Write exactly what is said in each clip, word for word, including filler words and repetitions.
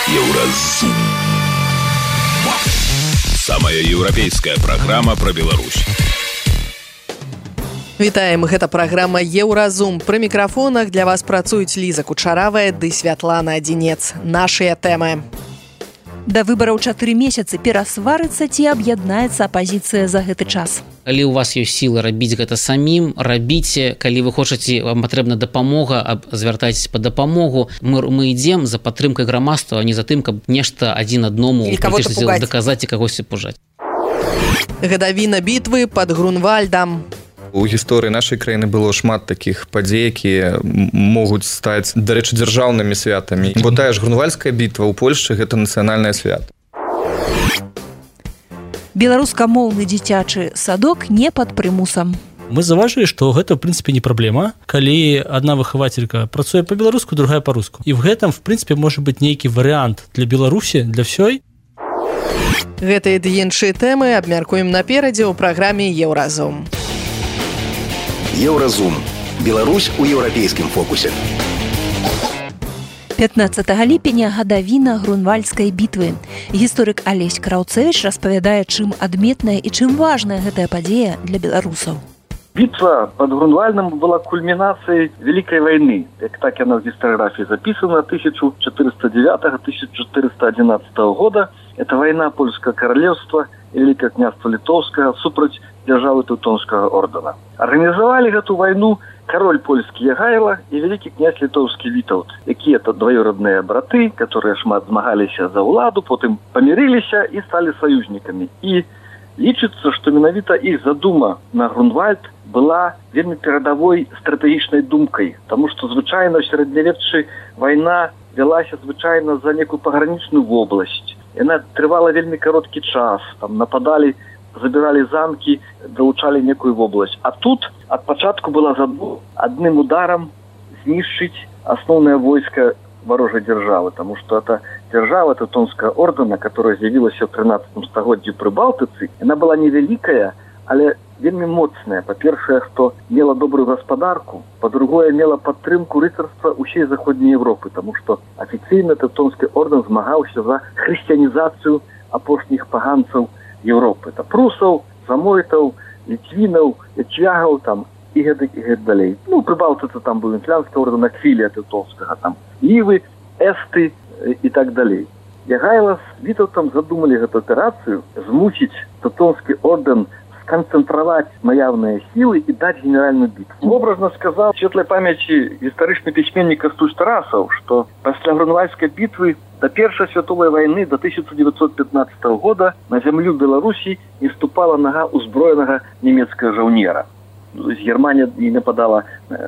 Еўразум. Самая еўрапейская праграма пра Беларусь. Вітаем, гэта праграма Еўразум. Пры мікрафонах для вас працуюць Ліза Кучаравая ды Святлана Адзінец. Нашыя тэмы. Да выбараў чатыры месяцы перасварыцца ці аб'яднаецца апазіцыя за гэты час. Калі у вас ёсць сілы рабіць гэта самім, рабіце. Калі вы хочаце, вам патрэбна дапамога, звяртайцеся па дапамогу. Мы, мы ідзем за падтрымкай грамадства, а не за тым, каб нешта адзін адному даказаць і кагосьці пужаць. Гадавіна бітвы пад Грунвальдам. У гісторыі нашай краіны было шмат такіх падзей, якія могуць стаць, дарэчы, дзяржаўнымі святамі. Бо тая ж Грунвальдская бітва ў Польшчы гэта нацыянальнае свята. Беларускамоўны дзіцячы садок не пад прымусам. Мы заўважылі, што гэта, в прынцыпе, не праблема, калі адна выхавацелька працуе па-беларуску, другая па-руску. І в гэтым, в прынцыпе, можа быць нейкі варыянт для Беларусі, для ўсёй. Гэтыя ды іншыя тэмы абмяркуем наперадзе ў праграме Еўразум. Еўразум. Беларусь у еўрапейскім фокусе. пятнаццатага ліпеня гадавіна Грунвальдскай бітвы. Гісторык Алесь Краўцэвіч распавядае, чым адметная і чым важная гэтая падзея для беларусаў. Битва под Грунвальдом была кульминацией Великой войны. Как так она в гисториографии записана, тысяча четыреста девятого — тысяча четыреста одиннадцатого года. Это война Польского королевства и Великое княжество Литовское супроть державы Теутонского ордена. Организовали эту войну король польский Ягайло и великий князь литовский Витаўт, якія это двоюродные браты, которые шмат змагались за уладу, потом помирились и стали союзниками. И лічыцца, што менавіта іх задума на Грунвальд была вельмі перадавой стратэгічнай думкай, таму што звычайна ў сярэднявеччы вайна вялася звычайна за некую пагранічную вобласць. Яна трывала вельмі кароткі час, там нападалі, забіралі замкі, далучалі некую вобласць. А тут ад пачатку была задума адным ударам знішчыць асноўнае войска ворожей державы, потому что это держава Теутонского ордена, которая з'явилась в тринадцатом стагоддзі при Балтыцы, она была невеликая, але вельмі моцная. По-першае, что мела добрую господарку, по-другое, мела падтрымку рыцарства усей Заходней Европы, потому что официально Теутонский орден змагаўся за хрысціянізацыю апошніх паганцаў Европы. Это прусаў, замойтаў, літвінаў, ячвягаў, там, и гэтак, и гэтак далей. Ну, при Балтыцы там был Венецианский орден, Аквилия Теутонского, там, Ливы, Эсты и так далее. Ягайло с Витаўтам задумали эту операцию, змусить Теутонский орден сконцентровать наявные силы и дать генеральную битву. Образно сказал в светлой памяти историчный письменник Костусь Тарасов, что после Грунвальдской битвы до Первой святовой войны до тысяча девятьсот пятнадцатого года на землю Беларуси не ступала нога узброенного немецкого жаўнера. То есть Германия не нападала,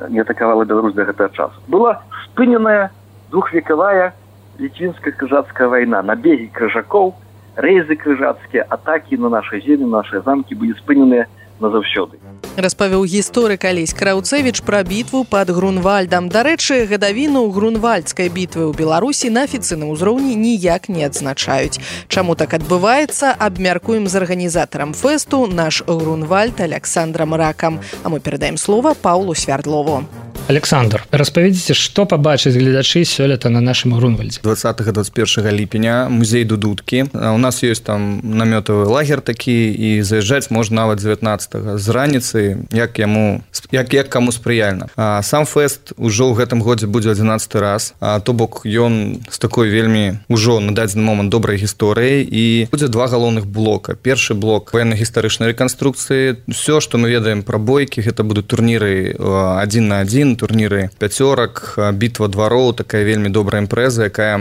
не атаковала Беларусь до этого часа. Была спыненная двухвековая литвинская крыжацкая война. Набеги крыжаков, рейзы крыжацкие, атаки на наши земли, на наши замки были спыненные назаўсёды. Распавёў гісторык Алесь Краўцэвіч пра бітву пад Грунвальдам. Дарэчы, гадавіну Грунвальдскай бітвы ў Беларусі на афіцыйным узроўні ніяк не адзначаюць. Чаму так адбываецца, абмяркуем з арганізатарам фэсту «Наш Грунвальд» Александром Ракам. А мы перадаем слова Паўлу Свярдлову. Александр, распавядзіце, што пабачаць гледачы сёлета на нашым Грунвальдзе. двадцатага — двадцать первого ліпеня музей Дудуткі. У нас ёсць там намётавы лагер такі, і заязджаць можна нават дзевятнаццатага з раніцы, як яму, як, як каму спрыяльна. А сам фэст ужо ў гэтым годзе будзе адзінаццаты раз, а то бок ён з такой вельмі ужо на дадзены момант добрай гісторыі, і будзе два галоўных блока. Першы блок ваенна-гістарычнай рэканструкцыі. Все, што мы ведаем пра бойкі, гэта будуць турніры адзін на адзін, турніры пяцёрак, бітва двароў, такая вельмі добрая імпрэза, якая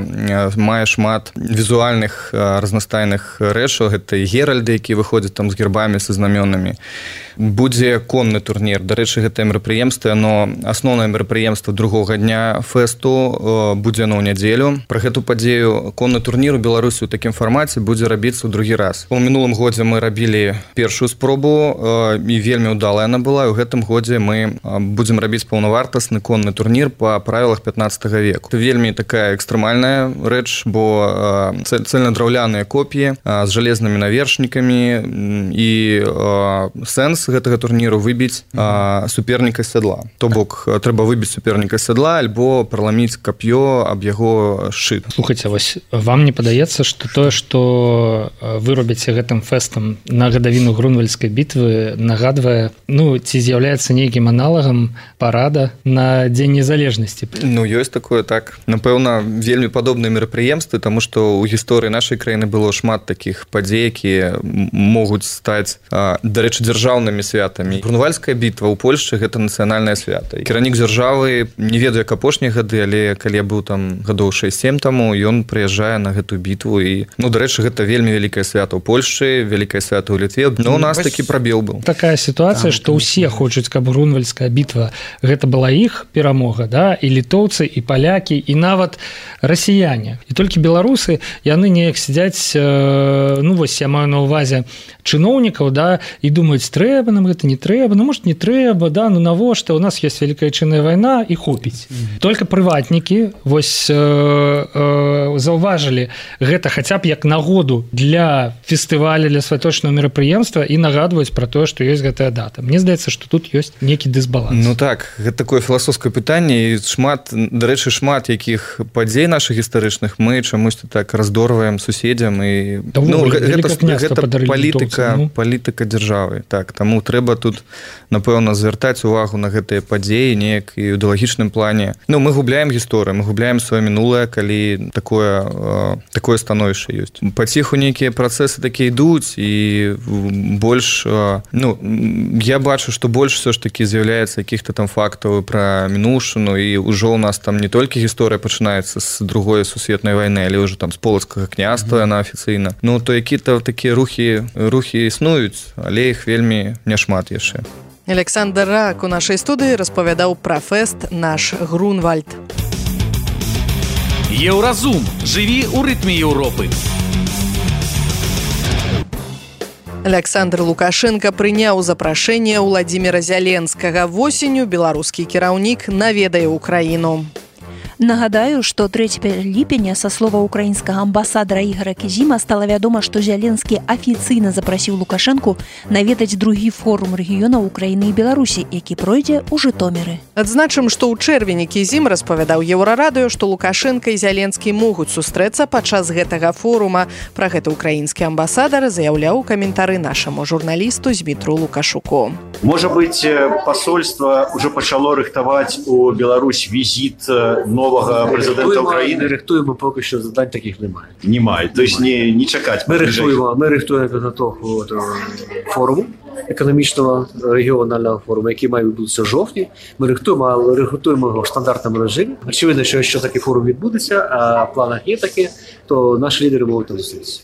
мае шмат візуальных разнастайных рэчаў. Гэта і геральды, які выходзяць там з гербамі, са знамёнамі. Будзе конны турнір. Дарэчы, гэтае мерапрыемства, но асноўнае мерапрыемства другога дня фэсту будзе на ў нядзелю. Пра гэту падзею конны турнір у Беларусі ў такім фармаце будзе рабіцца ў другі раз. У мінулым годзе мы рабілі першую спробу, і вельмі ўдалая яна была, і ў гэтым годзе мы будзем рабіць паўнавартасную вартасны конны турнір па правілах пятнаццатага веку. Это вельмі такая экстрэмальная рэч, бо цельнадраўляныя копіі з жалезнымі навершнікамі і сэнс гэтага турніру выбіць суперніка сядла. То бок трэба выбіць суперніка сядла альбо праламіць кап'ё аб яго шчыт. Слухайце, вось вам не падаецца, што тое, што вы робіце гэтым фэстам на гадавіну Грунвальдскай бітвы, нагадвае, ну, ці з'яўляецца нейкім аналагам парада на Дзень незалежнасці? Ну, ёсць такое, так. Напэўна, вельмі падобныя мерапрыемствы, таму што ў гісторыі нашай краіны было шмат такіх падзей, якія могуць стаць, дарэчы, дзяржаўнымі святамі. Грунвальдская бітва ў Польшчы гэта нацыянальнае свята. Кіраўнік дзяржавы, не ведаю, як апошнія гады, але калі я быў там гадоў шэсць-сем таму, ён прыязджае на гэтую бітву і, ну, дарэчы, гэта вельмі вялікае свята ў Польшчы, вялікае свята ў Літве, но у нас такі прабел быў. Такая сітуацыя, што ўсе хочуць, каб Грунвальдская бітва гэта была іх перамога, да, і літоўцы, і палякі, і нават расіяне. І толькі беларусы, яны неяк сядзяць, ну, вось я маю на ўвазе чыноўнікаў, да, і думаюць, трэба нам гэта, не трэба, ну, может, не трэба, да, ну, навошта, у нас ёсць вялікая чынная вайна, і хопіць. Только прыватнікі, вось, э, э, заўважылі гэта хаця б як нагоду для фестываля, для святочнага мерапрыемства і нагадваюць пра тое, што ёсць гэтая дата. Мне здаецца, што тут ёсць нейкі дысбаланс. Ну так, гэта такое філасофскае пытанне, і шмат, дарэчы, шмат якіх падзей нашых гістарычных мы чамусьці так раздорваем суседзям і да, ну, гэта, гэта палітыка, ну? палітыка дзяржавы. Так, таму трэба тут, напэўна, звяртаць увагу на гэтыя падзеі неяк і ў ідэалагічным плане. Ну, мы губляем гісторыю, мы губляем сваё мінулае, калі такое, э, такое становішча ёсць. Паціху нейкія працэсы такія ідуць і больш, э, ну, я бачу, што больш все ж таки з'яўляецца якіх-то там фактаў пра мінушыну, і ўжо ў нас там не толькі гісторыя пачынаецца з другой сусветнай вайны, але ўжо там з полацкага княства яна афіцыйна. Ну, то які-то такія рухі, рухі існуюць, але іх вельмі няшмат яшчэ. Александр Рак у нашай студыі распавядаў пра фэст «Наш Грунвальд». Еўразум. Жыві ў рытме Еўропы. Александр Лукашенко прыняў запрашэнне Владзіміра Зяленскага. Восенню беларускі кіраўнік наведае ўкраіну. Нагадаю, што трэцяга ліпеня са слова украінскага амбасадара Ігара Кізіма стала вядома, што Зяленскі афіцыйна запрасіў Лукашэнку наведаць другі форум рэгіёнаў Украіны і Беларусі, які пройдзе ў Жытоміры. Адзначым, што ў чэрвені Кізім распавядаў Еўрарадыё, што Лукашенка і Зяленскі могуць сустрэцца падчас гэтага форума. Пра гэта украінскі амбасадар заяўляў у каментары нашаму журналісту Змітру Лукашуку. Можа быць, посольство уже пачало рыхтаваць у Беларусь візіт нового президента України. Ми рихтуємо, поки що завдань таких немає. Немає, тобто не, не чекати. Ми рихтуємо, ми рихтуємо підготовку форуму, економічного регіонального форуму, який має відбутися в жовтні. Ми рихтуємо, але рихтуємо його в стандартному режимі. Очевидно, що якщо такий форум відбудеться, а в планах є таке, то наші лідери можуть там зустрітися.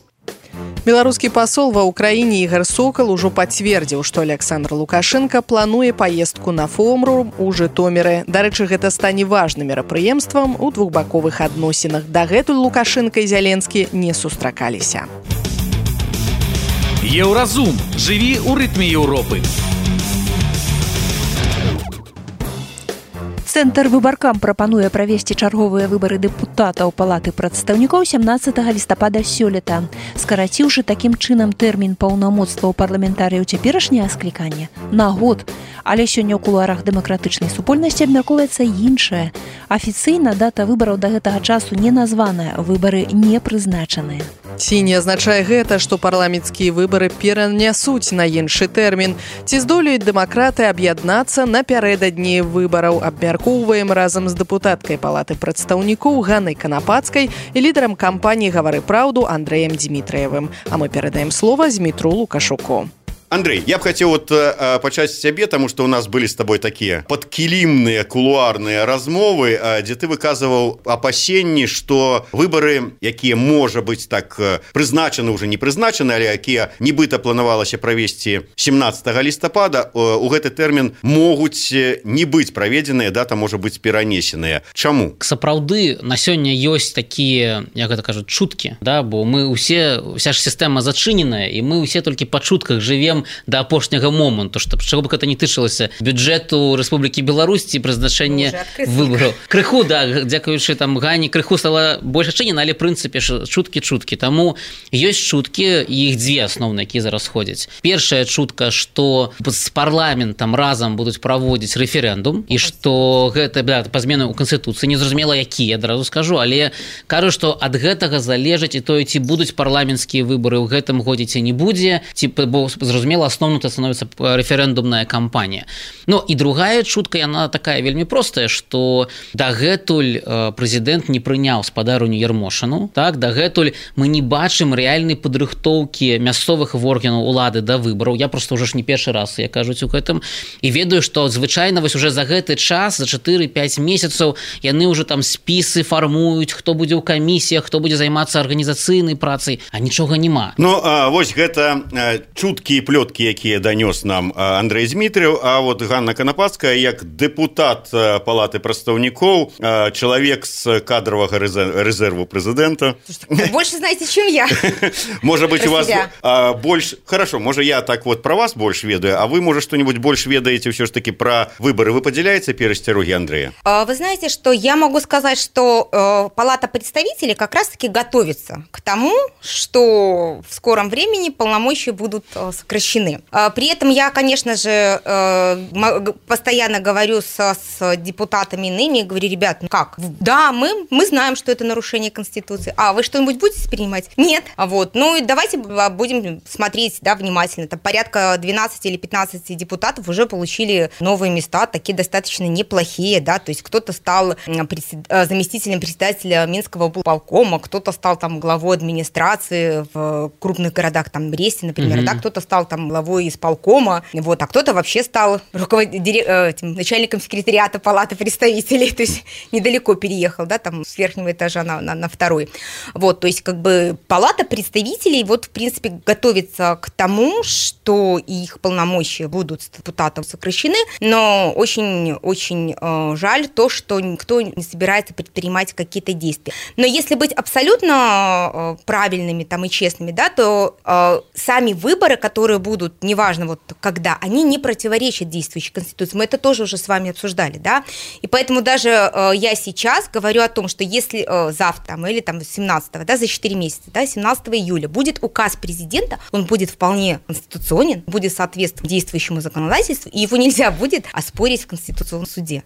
Беларускі пасол ва ўкраіне Ігар Сокал ужо пацвердзіў, што Александр Лукашенко плануе паездку на форум у Жытоміры. Дарэчы, гэта стане важным мерапрыемствам у двухбаковых адносінах. Дагэтуль Лукашенко і Зяленскі не сустракаліся. Еўразум. Жыві ў рытме Еўропы. Цэнтр выбаркам прапануе правесці чарговыя выбары дэпутатаў палаты прадстаўнікоў сямнаццатага лістапада сёлета, скараціўшы такім чынам тэрмін паўнамоцтваў парламентарыяў цяперашняе скліканне на год. Але сёння ў кулуарах дэмакратычнай супольнасці абмяркоўваецца іншае. Афіцыйна дата выбараў да гэтага часу не названая, выбары не прызначаныя. Ці не азначае гэта, што парламенцкія выбары перанясуць на іншы тэрмін? Ці здолеюць дэмакраты аб'яднацца напярэдадні выбараў? Абмяркоўваем разам з дэпутаткай палаты прадстаўнікоў Ганнай Канапацкай і лідарам кампаніі «Гавары праўду» Андрэем Дзімітрыевым. А мы перадаем слова Змітру Лукашуку. Андрей, я бы хотел вот э, почать с тебе, потому что у нас были с тобой такие подкилимные кулуарные размовы, э, где ты выказывал опасения, что выборы, якія, может быть, так э, призначены, уже не призначены, але якія нібыта планавалася правесці семнаццатага лістапада, э, у гэты тэрмін могуць не быць праведзеныя, дата можа быць перанесеная. Чаму? Сапраўды, на сёння ёсць такія, як гэта кажуць, чуткі, да, бо мы усе, вся ж сістэма зачыненая, і мы усе толькі па чутках жывем ідзем да апошняга моманту, што чаго бы гэта не тычылася бюджэту Рэспублікі Беларусь ці прызначэння выбараў. Крыху, да, дзякуючы там Гані, крыху стала больш адчынена, але прынцыпе чуткі-чуткі. Таму ёсць чуткі, іх дзве асноўныя, якія зараз ходзяць. Першая чутка, што з парламентам разам будуць праводзіць рэферэндум і што гэта да, па змены ў Канстытуцыі, незразумела які, я адразу скажу, але кажу, што ад гэтага залежыць і тое, ці будуць парламенцкія выбары ў гэтым годзе ці не будзе, ці, бо зразумела, асноўным это становіцца рэферэндумная кампанія. Ну і другая чутка, яна такая вельмі простая, што дагэтуль прэзідэнт не прыняў спадарню Ярмошыну, так, дагэтуль мы не бачым рэальнай падрыхтоўкі мясцовых органаў улады да выбараў. Я просто ўжо ж не першы раз, я кажуць у гэтым, і ведаю, што звычайна вось уже за гэты час, за чатыры-пяць месяцаў яны ўжо там спісы фармуюць, хто будзе ў камісіях, хто будзе займацца арганізацыйнай працай, а нічога няма. Ну, а, вось гэта а, чуткі і плёткі, якія данёс нам а, Андрэй Змітрыў, а вот Ганна Канапацкая, як дэпутат а, Палаты прадстаўнікоў, а, чалавек з кадровага рэзерву прэзідэнта. Больше знаете, чем я. Может быть, у вас а, больше... Хорошо, может, я так вот про вас больше ведаю, а вы, может, что-нибудь больше ведаете все ж таки про выборы. Вы поделяете перестероги Андрея? Вы знаете, что я могу сказать, что э, Палата представителей как раз-таки готовится к тому, что в скором времени полномочия будут э, сокращены. Э, при этом я, конечно же, э, постоянно говорю со, с депутатами иными, говорю, ребят, ну как? Да, мы, мы знаем, что это нарушение Конституции. А вы что-нибудь будете принимать? Нет. Вот. Ну и давайте будем смотреть, да, внимательно. Там порядка двенадцати или пятнадцати депутатов уже получили новые места, такие достаточно неплохие, да, то есть кто-то стал заместителем председателя Минского полкома, кто-то стал там главой администрации в крупных городах, там Бресте, например, mm-hmm. да, кто-то стал там главой исполкома, вот, а кто-то вообще стал руковод... этим, начальником секретариата Палаты представителей, то есть недалеко переехал, да, там с верхнего этажа на, на, на второй. Вот, то есть как бы Палата представителей вот в принципе готовится к тому, что их полномочия будут с депутатом сокращены, но очень-очень э, жаль то, что никто не собирается предпринимать какие-то действия. Но если быть абсолютно э, правильными там, и честными, да, то э, сами выборы, которые будут, неважно вот когда, они не противоречат действующей Конституции. Мы это тоже уже с вами обсуждали, да, и поэтому даже э, я сейчас говорю о том, что если э, завтра там, или там семнадцатого, да, за четыре месяца, да, семнадцатого июля будет указ президента, он будет вполне конституционен, будет соответствовать действующему законодательству, и его нельзя будет оспорить в Конституционном суде.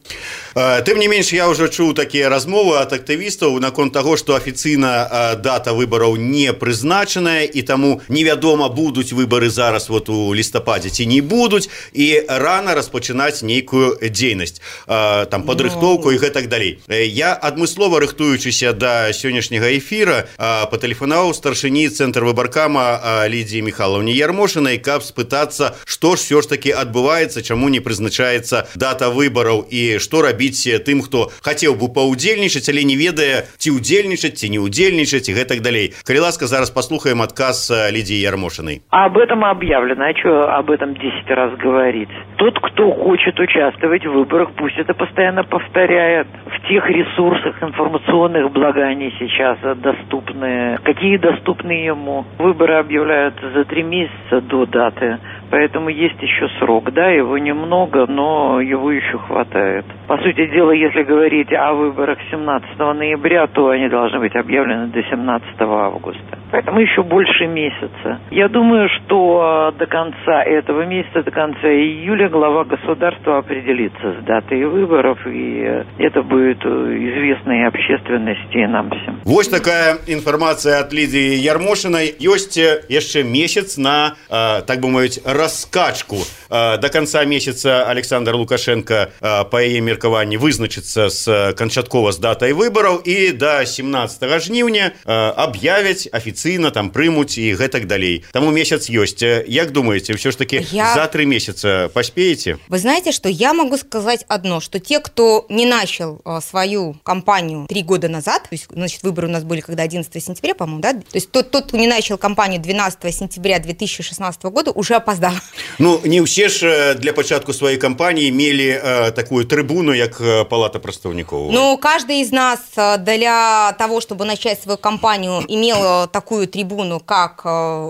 Тым не менш, я уже чуў такія размовы ад актывістаў наконт таго, што афіцыйна дата выбараў не прызначаная, і таму невядома, будуць выбары зараз вот у лістападзе ці не будуць, і рана распачынаць нейкую дзейнасць, там падрыхтоўку і гэтак далей. Я адмыслова рыхтуючыся да сённяшняга эфіра патэлефанаваў старшыні цэнтр выбаркама Лідзіі Міхайлаўне Ярмошынай, каб спытацца, што ж всё ж таки адбываецца, чаму не прызначаецца дата выбараў і што рабіць тым, хто хацеў бы паўдзельнічаць, але не ведае, ці ўдзельнічаць, ці не ўдзельнічаць і гэтак далей. Калі ласка, зараз паслухаем адказ Лидии Ярмошиной. Об этом объявлено. А что об этом десять раз говорить? Тот, кто хочет участвовать в выборах, пусть это постоянно повторяет. В тех ресурсах информационных, благо они сейчас доступны. Какие доступны ему? Выборы объявляются за три месяца до даты. Поэтому есть еще срок, да, его немного, но его еще хватает. По сути дела, если говорить о выборах семнадцатого ноября, то они должны быть объявлены до семнадцатого августа. Поэтому еще больше месяца. Я думаю, что до конца этого месяца, до конца июля глава государства определится с датой выборов, и это будет известно и общественности, и нам всем. Вот такая информация от Лидии Ярмошиной. Есть еще месяц на, так бы мовить, раскачку. До конца месяца Александр Лукашенко, по яе меркаванні, вызначыцца з канчаткова з датай выбараў, і до семнадцатого жніўня аб'явяць афіцыйна, там прымуць і гэтак далей. Таму месяц ёсць. Як думаете, все ж таки я... за три месяца поспеете? Вы знаете, что я могу сказать одно, что те, кто не начал свою кампанию три года назад, то есть, значит, выборы у нас были когда одиннадцатого сентября, по-моему, да? То есть тот, тот, кто не начал кампанию двенадцатого сентября две тысячи шестнадцатого года, уже опоздал. Да. Ну не ўсе ж для пачатку сваёй кампаніі мелі э, такую трыбуну, як палата прадстаўнікоў. Ну каждый из нас для того, чтобы начать свою кампанию, имел такую трибуну, как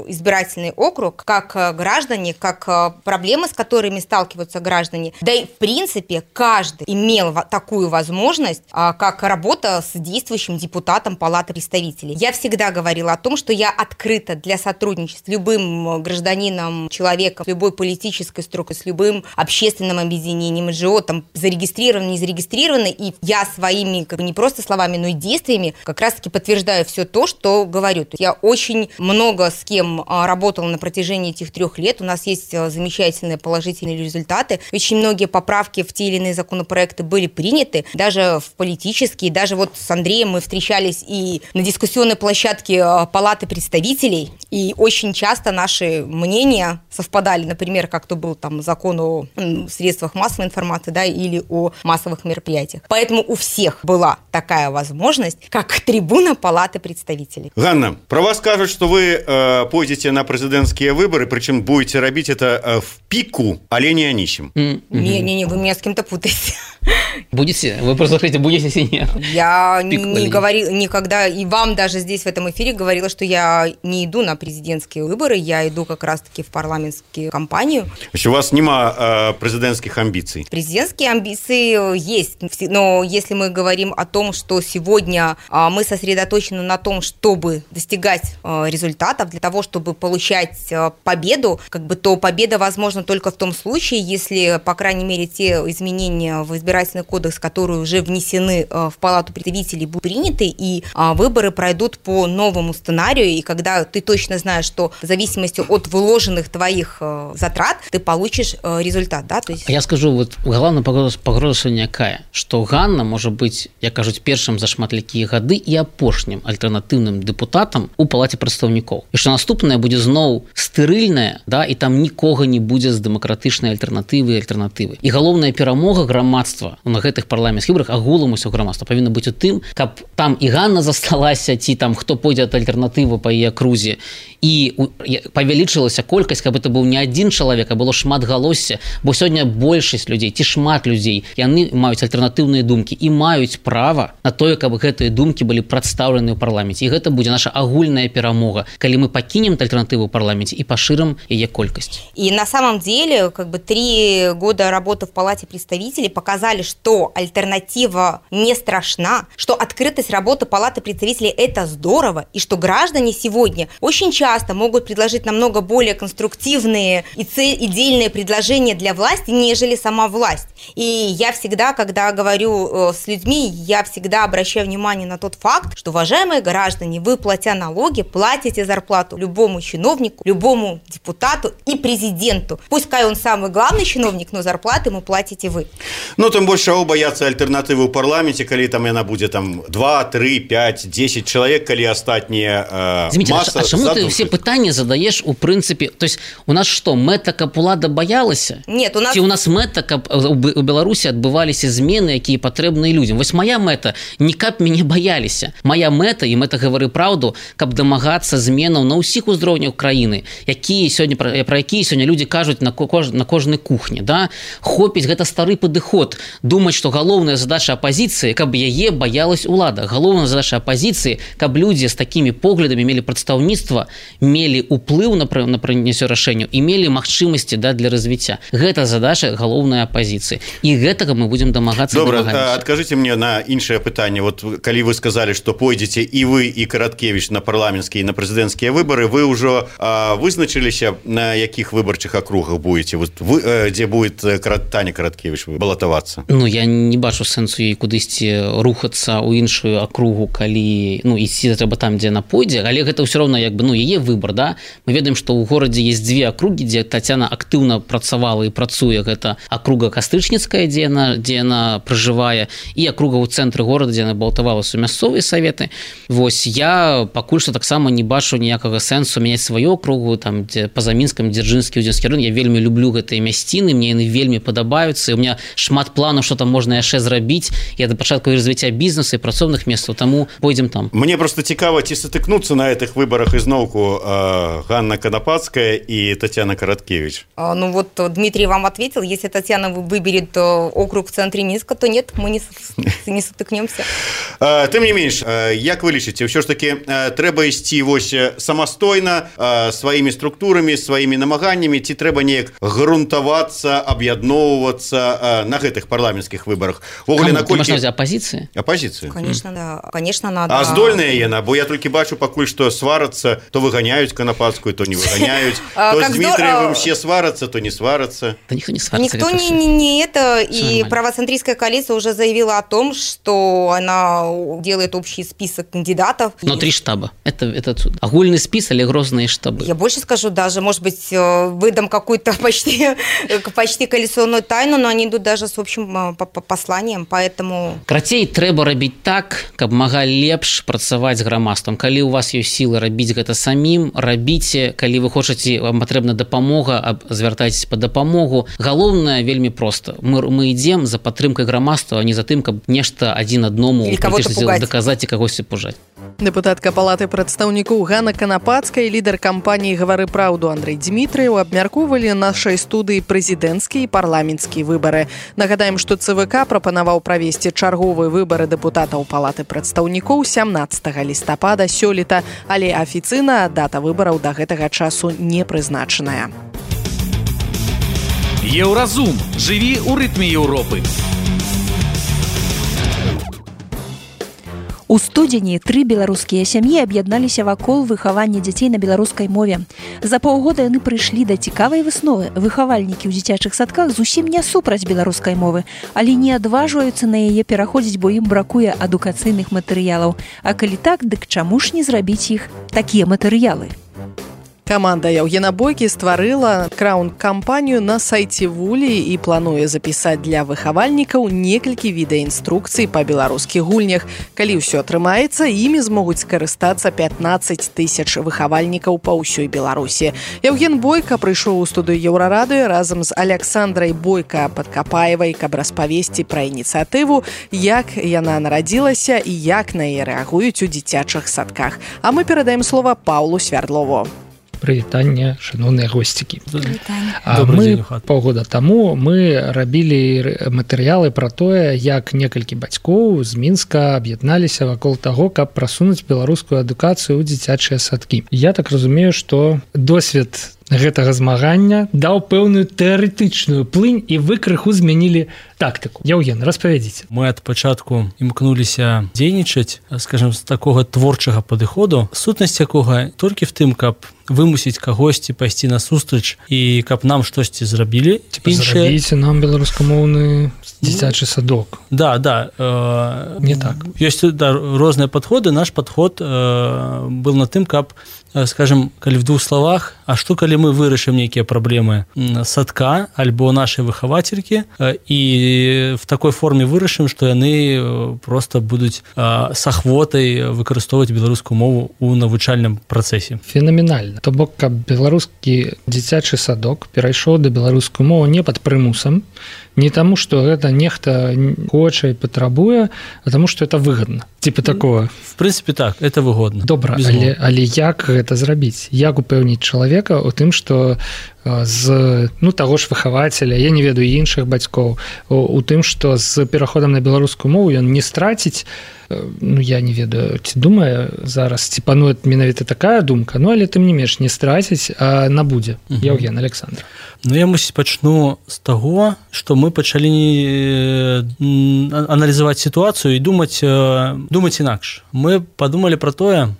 избирательный округ, как граждане, как проблемы, с которыми сталкиваются граждане. Да и в принципе каждый имел такую возможность, как работа с действующим депутатом Палаты представителей. Я всегда говорила о том, что я открыта для сотрудничества с любым гражданином, человеком, с любой политической структурой, с любым общественным объединением, эн джи о, там, зарегистрированы, не зарегистрированы, и я своими, как бы, не просто словами, но и действиями как раз-таки подтверждаю все то, что говорю. Я очень много с кем работала на протяжении этих трех лет, у нас есть замечательные положительные результаты, очень многие поправки в те или иные законопроекты были приняты, даже в политические, даже вот с Андреем мы встречались и на дискуссионной площадке Палаты представителей, и очень часто наши мнения совпадали, например, как то был там закон о средствах массовой информации, да, или о массовых мероприятиях. Поэтому у всех была такая возможность, как трибуна Палаты представителей. Ганна, про вас скажут, что вы э, пойдете на президентские выборы, причем будете робить это э, в пику, але не анисим. Не-не-не, вы меня с кем-то путаете. Будете? Вы просто говорите, будете или нет? Я не говорила никогда, и вам даже здесь в этом эфире говорила, что я не иду на президентские выборы, я иду как раз-таки в парламентскую кампанию. У вас нема э, президентских амбиций? Президентские амбиции есть, но если мы говорим о том, что сегодня э, мы сосредоточены на том, чтобы достигать э, результатов, для того, чтобы получать э, победу, как бы, то победа возможна только в том случае, если, по крайней мере, те изменения в избирательный кодекс, которые уже внесены э, в Палату представителей, будут приняты, и э, выборы пройдут по новому сценарию, и когда ты точно знаешь, что в зависимости от выложенных твоих э, затрат ты получишь э, результат, да? То есть... Я скажу, вот главная пагроза сёння якая, што Ганна можа быць, як кажуць, першым за шматлікія гады і апошнім альтэрнатыўным дэпутатам у Палаце прадстаўнікоў. І што наступнае будзе зноў стэрыльнае, да, і там нікога не будзе з дэмакратычнай альтэрнатывы і альтэрнатывы. І галоўная перамога грамадства на гэтых парламенцкіх выбарах, агулам усё грамадства павінна быць у тым, каб там і Ганна засталася, ці там хто пойдзе ад альтэрнатывы па яе акрузе, і павялічылася колькасць, каб это быў не адзін чалавек, а было шмат галосся, бо сёння большасць людзей ці шмат людзей, яны маюць альтэрнатыўныя думкі і маюць права на тое, каб гэтыя думкі былі прадстаўлены ў парламенце. І гэта будзе наша агульная перамога, калі мы пакінем альтэрнатыву ў парламенце і пашырым яе колькасць. И на самом деле, как бы три года работы в Палате представителей показали, что альтернатива не страшна, что открытость работы Палаты представителей – это здорово, и что граждане сегодня очень часто могут предложить намного более конструктивные и идейные предложения для власти, нежели сама власть. И я всегда, когда говорю с людьми, я всегда обращаю внимание на тот факт, что, уважаемые граждане, вы, платя налоги, платите зарплату любому чиновнику, любому депутату и президенту. Пускай он самый главный чиновник, но зарплаты ему платите вы. Ну, тем больше бояться альтернативы в парламенте, коли там она будет там два, три, пять, десять человек, коли остатние э, Зимите, масса. А чему ты все пытания задаешь у принципе? То есть у нас что, мэта, каб улада боялася? Нет, у нас... Ці у нас мэта, каб у Беларусі адбываліся змены, якія патрэбныя людзям. Вось моя мэта, не каб мяне баяліся. Моя мэта, і мэта гавары праўду, каб дамагацца зменаў на ўсіх узроўнях краіны, якія сёння пра, пра якія сёння людзі кажуць на, кож, на кожнай кухні, да? Хопіць гэта стары падыход, думаць, што галоўная задача апазіцыі, каб яе баялась улада. Галоўная задача апазіцыі, каб людзі з такімі поглядамі мелі прадстаўніцтва, мелі ўплыў на, на прыняцце рашэнняў і мелі магчымасці, да, для развіцця. Гэта задача галоўнай апазіцыі. І гэтага мы будем дамагацца. Добра, адкажыце мне на іншае пытанне. Вот калі вы сказали, што пойдзеце і вы, і Караткевіч на парламенцкія і на прэзідэнцкія выбары, вы ўжо а, вызначыліся, на якіх выбарчых акругах будете? Вот вы, дзе будет Таня Караткевіч балатавацца? Ну, я не бачу сэнсу ёй кудысьці рухацца ў іншую акругу, калі, ну, ісці трэба там, дзе яна пойдзе, але гэта ўсё роўна, як бы, ну, яе выбар, да? Мы ведаем, што ў горадзе есть дзве акругі, дзе Тацяна актыўна працавала і працуе. Гэта акруга Кастрычніцкая, дзе яна, дзе яна пражывае, і акруга ў цэнтры горада, дзе яна балатавалася ў мясцовыя саветы. Вось я пакуль што таксама не бачу ніякага сэнсу мяняць сваю акругу, там, дзе па-за Мінскам, Дзяржынскі, Удзінскі район. Я вельмі люблю гэтыя мясціны, мне яны вельмі падабаюцца, і у меня шмат планаў, што там можна яшчэ зрабіць. Я да пачатку развіцця бізнесу і працоўных месцаў, таму пойдзем там. Мне просто цікава, ці сутыкнуцца на гэтых выбарах ізноўку э, Ганна Канапацкая і Татьяна Короткевич? А, ну вот Дмитрий вам ответил, если Татьяна выберет округ в центре Минска, то нет, мы не, не сутыкнемся. Тым не менш, як вы лічыце, ўсё ж таки трэба ісці вось самастойна сваімі структурамі, сваімі намаганнямі, ці трэба неяк грунтавацца, аб'ядноўвацца на гэтых парламенцкіх выбарах? Вогуле, наколькі... Апозіцыі? Апозіцыі. Конечно, да. Конечно, надо. А здольная яна? Бо я толькі бачу пакуль, што сварацца, то выганяюць Канапацкую, то не выганяюць, то з Дмітриевым все сварацца, то не сварацца. Да никто не сварится. Никто не, не, не это. И правоцентристская коалиция уже заявила о том, что она делает общий список кандидатов. Внутри штаба. Это, это огульный список или грозные штабы? Я больше скажу даже, может быть, выдам какую-то почти, почти коалиционную тайну, но они идут даже с общим посланием, поэтому... Крацей трэба рабіць так, каб мага лепш працаваць з грамадствам. Калі у вас ёсць сілы рабіць гэта самім, рабіце. Калі вы хочаце, вам патрэбна дапамога, звяртайцеся па дапамогу. Галоўнае вельмі проста. Мы, мы ідзем за падтрымкай грамадства, а не за тым, каб нешта адзін адному даказаць і кагосьці пужаць. Дэпутатка палаты прадстаўнікоў Ганна Канапацкая, лідар кампаніі «Гавары праўду» Андрэй Дмітрыеў абмяркоўвалі нашай студыі прэзідэнцкія і парламенцкія выбары. Нагадаем, што ЦВК прапанаваў правесці чарговыя выбары дэпутатаў палаты прадстаўнікоў сямнаццатага лістапада сёлета, але афіцыйна дата выбараў да гэтага часу не прызначаная. Еўразум. Жыві ў рытме Еўропы. У студзені тры беларускія сям'і аб'ядналіся вакол выхавання дзяцей на беларускай мове. За паўгода яны прыйшлі да цікавай высновы. Выхавальнікі ў дзіцячых садках зусім не супраць беларускай мовы, але не адважваюцца на яе пераходзіць, бо ім бракуе адукацыйных матэрыялаў. А калі так, дык чаму ж не зрабіць іх такія матэрыялы? Каманда Яўгена Бойкі стварыла краўнд-кампанію на сайце Вулі і плануе запісаць для выхавальнікаў некалькі відэаінструкцый па беларускіх гульнях. Калі ўсё атрымаецца, імі змогуць скарыстацца пятнаццаць тысяч выхавальнікаў па ўсёй Беларусі. Яўген Бойка прыйшоў у студыю Еўрарадыё разам з Аляксандрай Бойка-Падкапаевай, каб распавесці пра ініцыятыву, як яна нарадзілася і як на яе рэагуюць у дзіцячых садках. А мы перадаем слова Паўлу Свярдлову. Прывітанне, шановныя госцікі. Мы паўгода таму мы рабілі матэрыялы пра тое, як некалькі бацькоў з Мінска аб'ядналіся вакол таго, каб прасунуць беларускую адукацыю ў дзіцячыя садкі. Я так разумею, што досвед гэтага змагання даў пэўную тэарэтычную плынь і вы крыху змянілі тактыку. Яўген, распавядзіце. Мы ад пачатку імкнуліся дзейнічаць, скажем, з такога творчага падыходу, сутнасць якога толькі в тым, каб вымусіць кагосьці пайсці на сустрач і каб нам штосьці зрабілі. Зрабіце нам беларускамоўны дзіцячы садок. Да, да. Э, не так. Ёсць да, розныя падходы. Наш падход э, был на тым, каб, скажем, калі в двух словах, а што калі мы вырашым нейкія праблемы садка альбо нашай выхавацелькі і в такой форме вырашым, што яны просто будуць с ахвотай выкарыстоўваць беларускую мову ў навучальным працэсе. Фенаменальна. То бок, каб беларускі дзіцячы садок перайшоў да беларускую мову не пад прымусам, не таму, што гэта нехта хоча і патрабуе, а таму, што это выгодна. Типа такого. В прынцыпе, так, это выгодна. Добра, але, але як гэта зрабіць? Як упэўніць чалавека у тым, што з ну, таго ж выхавацеля, я не ведаю іншых бацькоў, у, у тым, што з пераходам на беларускую мову ён не страціць, ну, я не ведаю, ці думае зараз, ці пануе менавіта такая думка, ну, але тым не менш не страціць, а набудзе. Угу. Яўген, Александр. Ну, я, мусіць, пачну з таго, што мы пачалі аналізаваць сітуацыю і думаць, думаць інакш. Мы падумалі пра тое,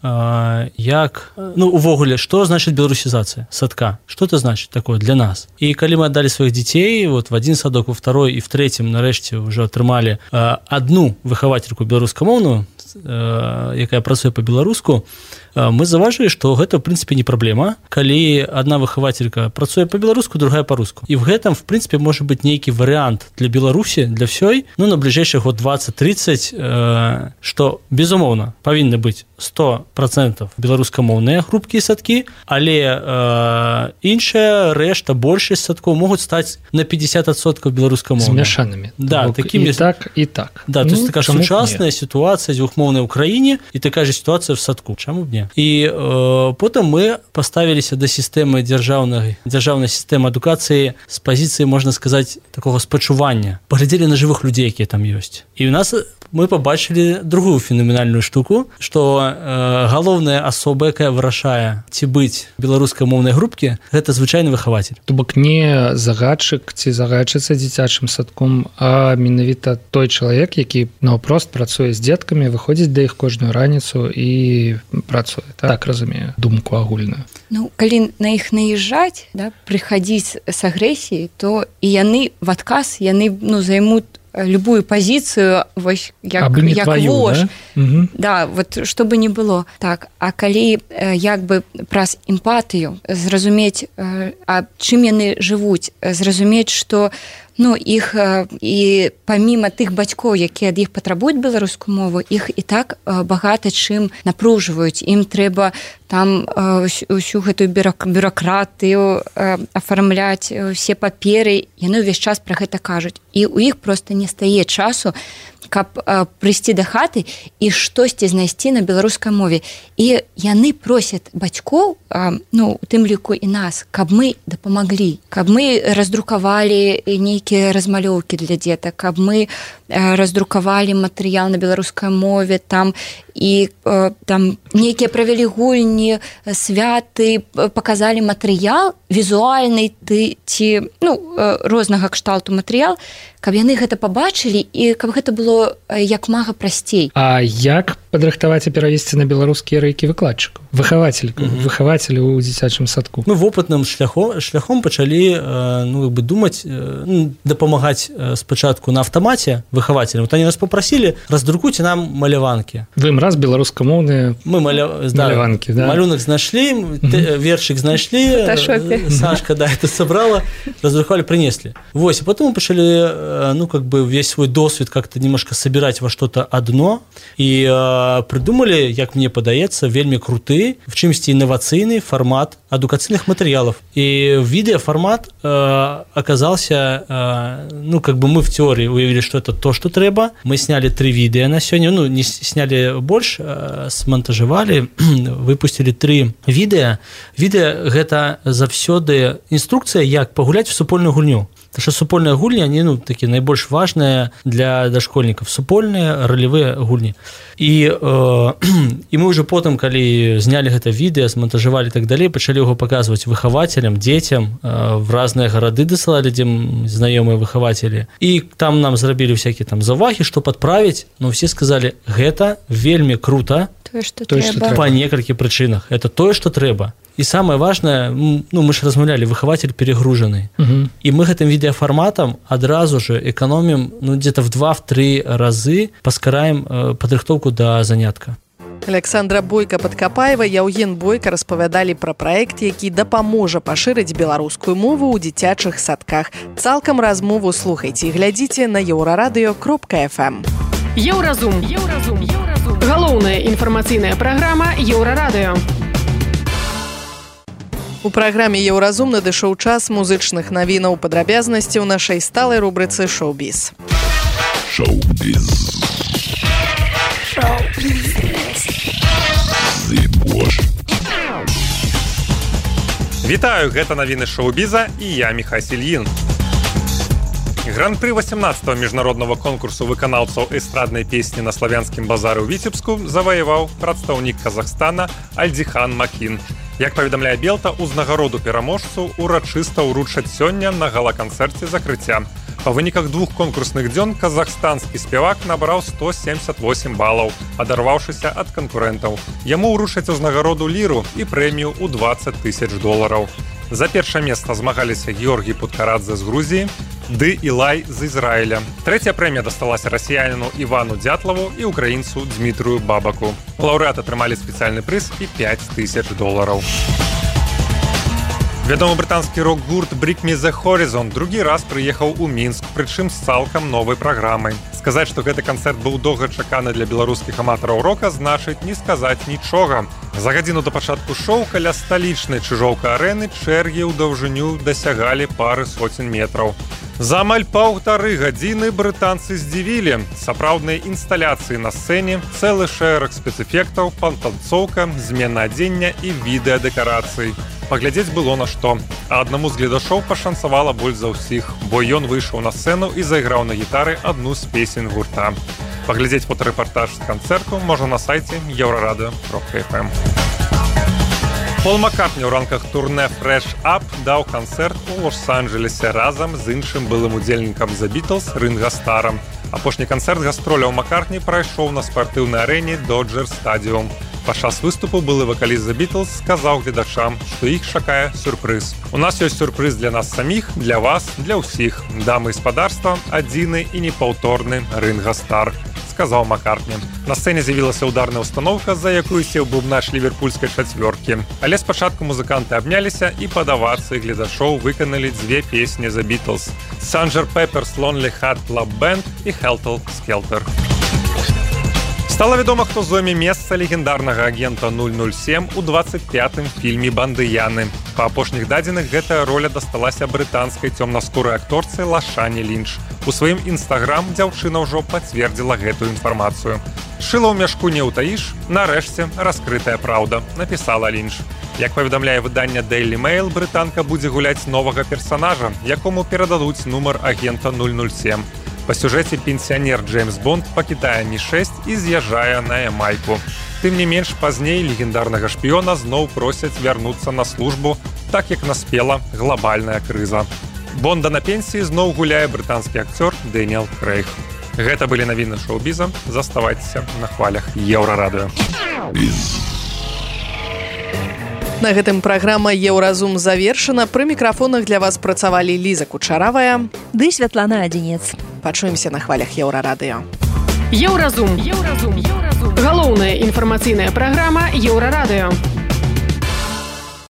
як, ну, увогуле, што значыць беларусізацыя садка? Што это значыць такое для нас? І калі мы аддалі сваіх дзяцей, вот в адзін садок, во второй і в трэцім, нарэшце, ўжо атрымалі адну выхавацельку беларускамоўную, якая працуе па-беларуску, мы заўважылі, што гэта, в прынцыпе, не праблема, калі адна выхавацелька працуе па-беларуску, другая па-руску. І в гэтым, в прынцыпе, можа быць нейкі варыянт для Беларусі, для ўсёй, ну, на бліжэйшы год двадцать-тридцать, што, безумоўна, павінны быць сто процентов беларускамоўныя групкі і садкі, але э, іншая рэшта, большасць садкоў могуць стаць на пятьдесят процентов беларускамоўнымі. Змяшанымі. Да, Бок такімі... і так, і так. Да, ну, то есть такая сучасная сітуацыя, дзвюх беларускамоўнай у краіне і такая же сітуацыя в садку, чаму б не. І э, потым мы паставіліся да сістэмы дзяржаўнай дзяржаўнай сістэмы адукацыі з пазіцыі, можна сказаць, такога спачування. Паглядзелі на жывых людзей, якія там ёсць. І у нас мы побачили другую феноменальную штуку, что э, галоўная асоба, якая вырашае ці быць беларускамоўнай групкі, гэта звычайны выхаватель. То бок не загадчык ці загадчыца дзіцячым садком, а менавіта той чалавек, які наўпрост працуе з дзеткамі, выходзіць да іх кожную раніцу і працуе. Так, так разумею, думку агульную. Ну, калі на іх наезжаць, да, прыходзіць з агрэсіяй, то і яны в адказ, яны ну, займут любую пазіцыю вось як, як твою, вож да? Угу. Да, вот што бы не было так, а калі як бы праз эмпатыю зразумець, а чым яны жывуць, зразумець, што ну, іх і паміма тых бацькоў, якія ад іх патрабуюць беларускую мову, іх і так багата чым напружваюць. Ім трэба там усю гэтую бюракратыю афармляць, усе паперы, яны ўвесь час пра гэта кажуць. І ў іх проста не стае часу, каб прыйсці да хаты і штосьці знайсці на беларускай мове. І яны просяць бацькоў, ну, у тым ліку і нас, каб мы дапамаглі, каб мы раздрукавалі нейкія размалёўкі для дзетак, каб мы раздрукавалі матэрыял на беларускай мове, там і там нейкія правялі гульні, святы, паказалі матэрыял візуальны ты, ці ну, рознага кшталту матэрыял, каб яны гэта пабачылі і каб гэта было як мага прасцей. А як падрыхтаваць і перавесці на беларускія рэйкі выкладчыкаў? Выхаватель, mm-hmm. выхавацелі ў дзіцячым садку. Ну, вопытным шляхом, шляхом пачалі ну, як бы думаць, ну, дапамагаць спачатку на аўтамаце выхавацелям. Вот они нас попросили, раздрукуйте нам маляванкі. Вы ім раз беларускамоўныя Мы маля... да, маляванкі, да? Малюнак знайшлі, mm-hmm. вершик знайшлі, Сашка, да, это собрала, раздрукавалі, принесли. Вось, и потом мы пачалі, ну, как бы весь свой досвед как-то немножко собирать во что-то одно, и э, придумали, як мне падаецца, вельмі круты, в чымсьці інавацыйны фармат адукацыйных матэрыялаў. І відэафармат э, оказался, э, ну, как бы мы в теории уявили, что это то, что трэба. Мы сняли три видео на сёння, ну, не сняли больше, э, смонтажевали, выпустили три видео. Видео гэта заўсёды інструкцыя, як пагуляць в супольную гульню. Потому что супольные гульни, они ну, такие наибольш важные для дошкольников. Супольные ролевые гульни. И, э, и мы уже потом, когда сняли это видео, смонтажевали и так далее, начали его показывать выхователям, детям, э, в разные города досылали, где знакомые выхователи. И там нам сделали всякие там завахи, что подправить, но все сказали, это вельми круто, то, что то, что по нескольким причинах. Это то, что треба. И самое важное, ну, мы же размаўлялі, выхаватель перегруженный. Uh-huh. И мы этим видеоформатом одразу же экономим ну, где-то в два-три разы, паскараем э, падрыхтоўку до занятка. Александра Бойка-Падкапаева, Яўген Бойка распавядалі пра праект, які дапаможа пашырыць беларускую мову ў дзіцячых садках. Цалкам размову слухайце і глядзіце на еўрарадыё кропка эф эм. Еўразум. Еўразум. Еўразум. Галоўная інфармацыйная праграма Еўрарадыё. У праграме «Еўразум» надышоў час музычных навінаў, падрабязнасці ў нашай сталай рубрыцы «Шоу-біз». Шоу-біз. Шоу-біз. Вітаю, гэта навіны шоу-біза і я Міхась Ільін. Гран-пры восемнадцатого міжнароднага конкурсу выканаўцаў эстраднай песні на славянскім базары ў Віцебску заваяваў прадстаўнік Казахстана Альдихан Макин. Як паведамляе Белта, узнагароду пераможцу урачыста ўручаць сёння на гала-канцэрце закрыцця. Па выніках двух конкурсных дзён казахстанскі спявак набраў сто семьдесят восемь балаў, адарваўшыся ад канкурэнтаў. Яму ўручаць узнагароду ліру і прэмію ў двадцать тысяч долараў. За першае месца змагаліся Георгій Путкарадзе з Грузіі, ды Ілай з Ізраіля. Трэцяя прэмія дасталася расіяніну Івану Дятлаву і украінцу Дмітрыю Бабаку. Лаўрэаты атрымалі спецыяльны прыз і пять тысяч долараў. Вядомы брытанскі рок-гурт Bring Me The Horizon другі раз прыехаў у Мінск, прычым з цалкам новай праграмай. Сказаць, што гэты канцэрт быў доўгачаканы для беларускіх аматараў рока, значыць не сказаць нічога. За гадзіну да пачатку шоу каля сталічнай Чыжоўка-арэны чэргі ў даўжыню дасягалі пары соцень метраў. За амаль паўтары гадзіны брытанцы здзівілі. Сапраўдныя інсталяцыі на сцэне, цэлы шэраг спецэфектаў, пантанцоўка, змена адзення і відэадэкарацый. Паглядзець было на што. А аднаму з гледашоў пашанцавала больш за ўсіх, бо ён выйшаў на сцэну і зайграў на гітары адну з песень гурта. Паглядзець фотарэпартаж з канцэрту можна на сайце еўрарадыё кропка эф эм. Пол Маккартні ў рамках турне Fresh Up даў канцэрт у Лос-Анджелесе разам з іншым былым удзельнікам The Beatles Ринга Старам. Апошні канцэрт гастроляў Маккартні прайшоў на спартыўнай арэне Dodger Stadium. Падчас выступу былы вакаліст The Beatles сказаў гледачам, што іх чакае сюрпрыз. У нас ёсць сюрпрыз для нас саміх, для вас, для ўсіх. Дамы і спадарства, адзіны і непаўторны Ринга Стар, сказаў Маккартні. На сцэне з'явілася ударная установка, за якую сеў бубнач ліверпульскай чацвёркі. Але спачатку музыканты абняліся і пад авацыі гледачоў выканалі дзве песні The Beatles: Sanger Pepper's Lonely Heart Club Band і Helter Skelter. Стала вядома, хто зойме месца легендарнага агента нуль нуль сем у двадцать пятым фільме «Бандыяны». Па апошніх дадзеных гэтая роля дасталася брытанскай цёмнаскурай акторцы Лашане Лінч. У сваім інстаграм дзяўчына ўжо пацвердзіла гэтую інфармацыю. Шыла ў мяшку не ўтаіш, нарэшце раскрытая праўда, напісала Лінч. Як паведамляе выданне Daily Mail, брытанка будзе гуляць новага персанажа, якому перададуць нумар агента нуль нуль сем. Па сюжэце пенсіянер Джеймс Бонд пакідае Мі шэсць і з'язджае на Ямайку. Тым не менш, пазней легендарнага шпіёна зноў просяць вярнуцца на службу, так як наспела глобальная крыза. Бонда на пенсіі зноў гуляе брытанскі акцёр Дэніэл Крэйг. Гэта былі навіны шоу-біза. Заставайцеся на хвалях Еўрарадыё. На гэтым праграма «Еўразум» завершана. Пры мікрафонах для вас працавалі Ліза Кучаравая ды Святлана Адзінец. Пачуемся на хвалях Еўрарадыё. Еўразум. Еўразум. Галоўная інфармацыйная праграма Еўрарадыё.